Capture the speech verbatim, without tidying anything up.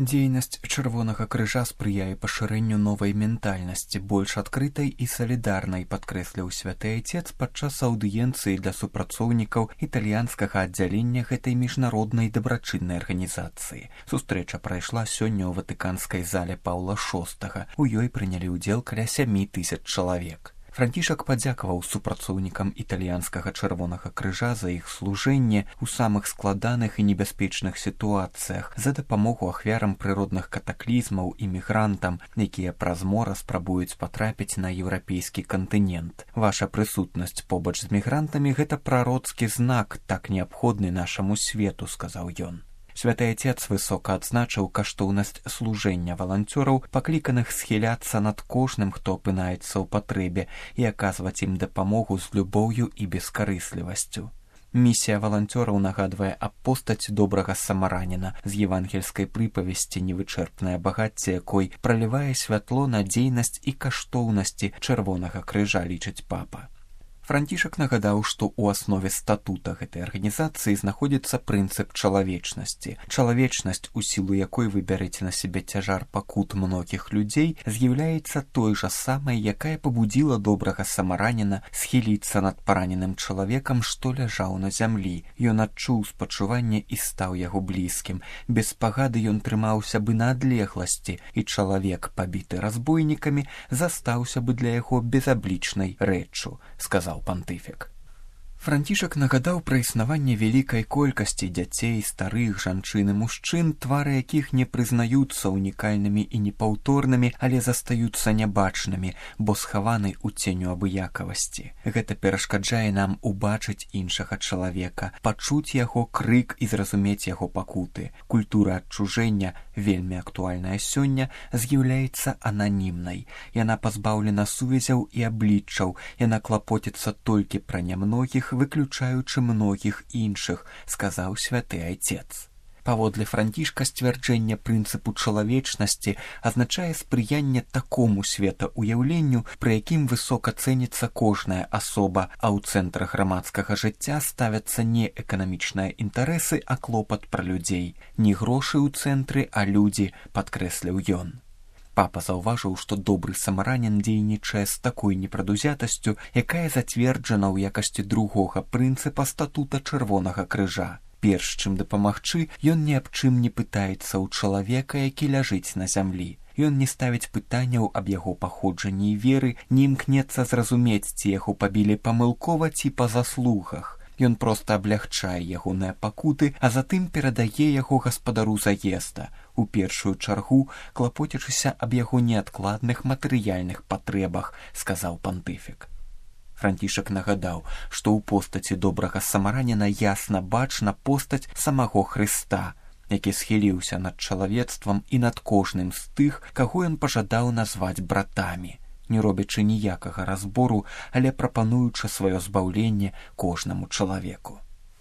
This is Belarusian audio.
Дзейнасць Чырвонага крыжа спрыяе пашырэнню новай ментальнасці, больш адкрытай і салідарнай, падкрэсліў святы айцец падчас аўдыенцыі для супрацоўнікаў італьянскага аддзялення гэтай міжнароднай дабрачыннай арганізацыі. Сустрэча прайшла сёння ў ватыканскай зале Паўла шостага. У ёй прынялі ўдзел каля сямі тысяч чалавек. Францішак падзякаваў супрацоўнікам італьянскага Чырвонага крыжа за іх служэнне ў самых складаных і небяспечных сітуацыях, за дапамогу ахвярам прыродных катаклізмаў і мігрантам, якія праз мора спрабуюць патрапіць на еўрапейскі кантынент. Ваша прысутнасць побач з мігрантамі – гэта прароцкі знак, так неабходны нашаму свету, сказаў ён. Святы айцец высока адзначыў каштоўнасць служэння валанцёраў, пакліканых схіляцца над кожным, хто апынаецца ў патрэбе, і аказваць ім дапамогу з любоўю і бескарыслівасцю. Місія валанцёраў нагадвае аб постаць добрага самараніна з евангельскай прыпавесці, невычэрпнае багацце якой пралівае святло на дзейнасць і каштоўнасці Чырвонага крыжа, лічыць папа. Францішак нагадаў, што ў аснове статута гэтай арганізацыі знаходзіцца прынцып чалавечнасці. Чалавечнасць, у сілу якой вы бярэце на сябе цяжар пакут многіх людзей, з'яўляецца той жа самай, якая пабудзіла добрага самараніна схіліцца над параненым чалавекам, што ляжаў на зямлі. Ён адчуў спачуванне і стаў яго блізкім. Без спагады ён трымаўся бы на адлегласці, і чалавек, пабіты разбойнікамі, застаўся бы для яго безаблічнай рэччу, сказаў пантыфік. Францішак нагадаў пра існаванне вялікай колькасці дзяцей, старых, жанчын і мужчын, твары якіх не прызнаюцца унікальнымі і непаўторнымі, але застаюцца нябачнымі, бо схаваны ў ценю абыякавасці. Гэта перашкаджае нам убачыць іншага чалавека, пачуць яго крык і зразумець яго пакуты. Культура адчужэння, вельмі актуальная сёння, з'яўляецца ананімнай. Яна пазбаўлена сувязяў і абліччаў, яна клапоціцца толькі пра нямногіх, выключаючы многіх іншых, сказаў святы айцец. Паводле Францішка сцвярджэнне прынцыпу чалавечнасці азначае спрыянне такому светаўяўленню, пры якім высока цэніцца кожная асоба, а ў цэнтр грамадскага жыцця ставяцца не эканамічныя інтарэсы, а клопат пра людзей. Не грошы ў цэнтры, а людзі, падкрэсліў ён. Папа заўважыў, што добры самаранін дзейнічае з такой непрадузятасцю, якая зацверджана ў якасці другога прынцыпа статута Чырвонага крыжа. Перш чым дапамагчы, ён ні аб чым не пытаецца ў чалавека, які ляжыць на зямлі. Ён не ставіць пытанняў аб яго паходжанні і веры, не імкнецца зразумець, ці яго пабілі памылкова ці па заслугах. Ён проста аблягчае ягоныя пакуты, а затым перадае яго гаспадару заезда, у першую чаргу клапоцячыся аб яго неадкладных матэрыяльных патрэбах, сказаў пантыфік. Францішак нагадаў, што ў постаці добрага самараніна ясна бачна постаць самого Хрыста, які схіліўся над чалавецтвам і над кожным з тых, каго ён пажадаў назваць братамі, не робячы ніякага разбору, але прапануючы сваё збаўленне кожнаму чалавеку.